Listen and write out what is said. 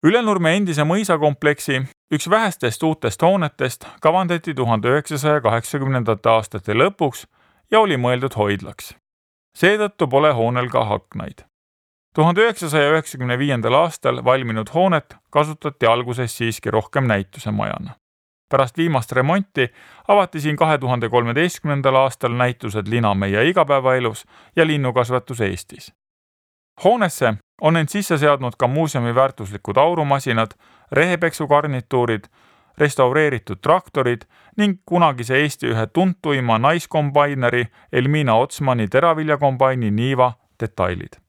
Ülenurme endise mõisakompleksi üks vähestest uutest hoonetest kavandati 1980. aastate lõpuks ja oli mõeldud hoidlaks. Seetõttu pole hoonel ka aknaid. 1995. aastal valminud hoonet kasutati alguses siiski rohkem näitusemajana. Pärast viimast remonti avati siin 2013. aastal näitused Lina meie igapäevaelus ja linnukasvatus Eestis. Hoonesse on end sisse seadnud ka muuseumi väärtuslikud aurumasinad, rehepeksugarnituurid, restaureeritud traktorid ning kunagise Eesti ühe tuntuima naiskombaineri Elmina Otsmani teraviljakombaini Niiva detailid.